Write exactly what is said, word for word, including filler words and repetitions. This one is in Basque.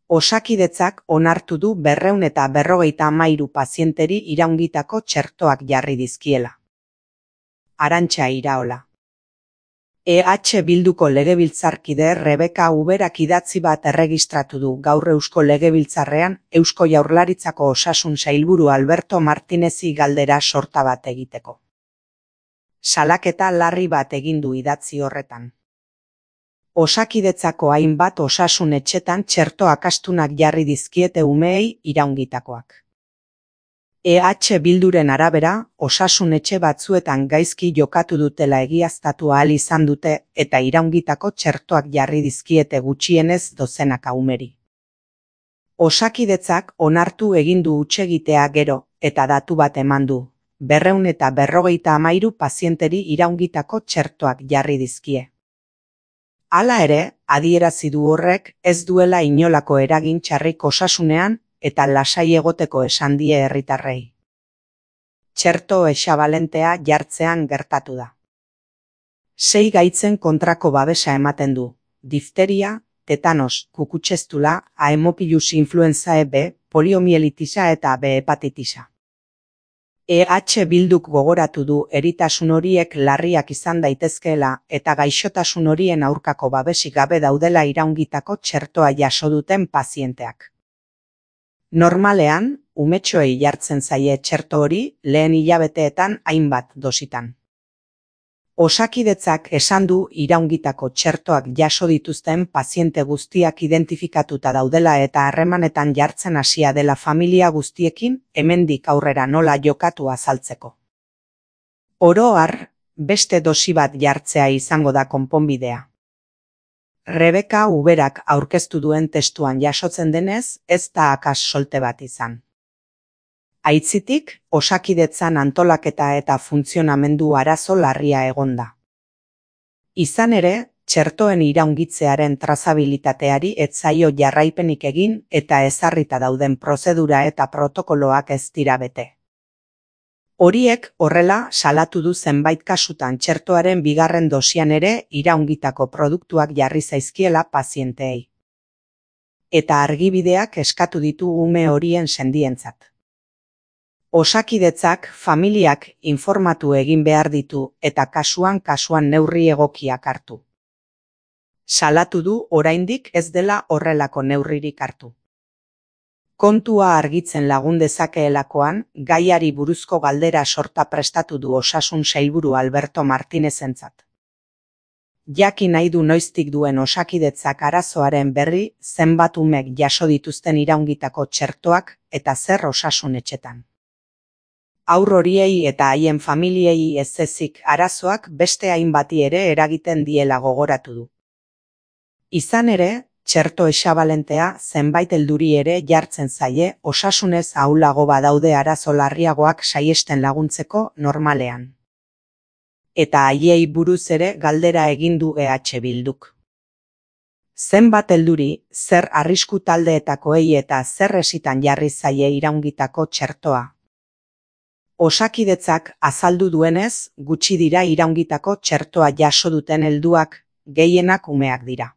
Osakidetzak onartu du berrehun eta berrogeita hamairu pazienteri iraungitako txertoak jarri dizkiela. Arantxa Iraola. E H Bilduko legebiltzarkide Rebeka Uberak idatzi bat erregistratu du gaur Eusko Legebiltzarrean Eusko Jaurlaritzako Osasun Sailburu Alberto Martinezi galdera sorta bat egiteko. Salaketa larri bat egin du idatzi horretan. Osakidetzako hainbat osasun etxetan txerto akastunak jarri dizkiete umeei iraungitakoak. E H Bilduren arabera, osasun etxe batzuetan gaizki jokatu dutela egiaztatu ahal izan dute eta iraungitako txertoak jarri dizkiete gutxienez dozenaka umeri. Osakidetzak onartu egin du hutsegitea gero eta datu bat eman du, berrehun eta berrogeita hamairu pazienteri iraungitako txertoak jarri dizkie. Hala ere, adierazi du horrek ez duela inolako eragin txarrik osasunean eta lasai egoteko esan die herritarrei. Txerto hexabalentea jartzean gertatu da. Sei gaitzen kontrako babesa ematen du, difteria, tetanos, kukutxestula, Haemophilus influenzae B, poliomielitisa eta B hepatitisa. E H Bilduk gogoratu du eritasun horiek larriak izan daitezkeela eta gaixotasun horien aurkako babesik gabe daudela iraungitako txertoa jaso duten pazienteak. Normalean, umetxoei jartzen zaie txerto hori lehen hilabeteetan hainbat dositan. Osakidetzak esan du iraungitako txertoak jaso dituzten paziente guztiak identifikatuta daudela eta harremanetan jartzen hasia dela familia guztiekin hemendik aurrera nola jokatu azaltzeko. Oro har, beste dosi bat jartzea izango da konponbidea. Rebeka Uberak aurkeztu duen testuan jasotzen denez, ez da akas solte bat izan. Aitzitik, osakidetzan antolaketa eta funtzionamendu arazo larria egonda. Izan ere, txertoen iraungitzearen trazabilitateari ez zaio jarraipenik egin eta ezarrita dauden prozedura eta protokoloak ez dira bete. Horiek horrela salatu du zenbait kasutan txertoaren bigarren dosian ere iraungitako produktuak jarri zaizkiela pazienteei. Eta argibideak eskatu ditu ume horien sendientzat. Osakidetzak familiak informatu egin behar ditu eta kasuan kasuan neurri egokiak hartu. Salatu du oraindik ez dela horrelako neurririk hartu. Kontua argitzen lagun dezakeelakoan, gaiari buruzko galdera sorta prestatu du Osasun Sailburu Alberto Martinezentzat. Jakin nahi du noiztik duen osakidetzak arazoaren berri zenbat umek jaso dituzten iraungitako txertoak eta zer osasun etxetan. Haur horiei eta haien familiei ez ezik arazoak beste hainbati ere eragiten diela gogoratu du. Izan ere, txerto hexabalentea zenbait helduri ere jartzen zaie osasunez ahulago badaude arazo larriagoak saihesten laguntzeko normalean. Eta haiei buruz ere galdera egin du E H Bilduk. Zenbat helduri, zer arrisku taldeetakoei eta zer esitan jarri zaie iraungitako txertoa. Osakidetzak azaldu duenez, gutxi dira iraungitako txertoa jaso duten helduak, gehienak umeak dira.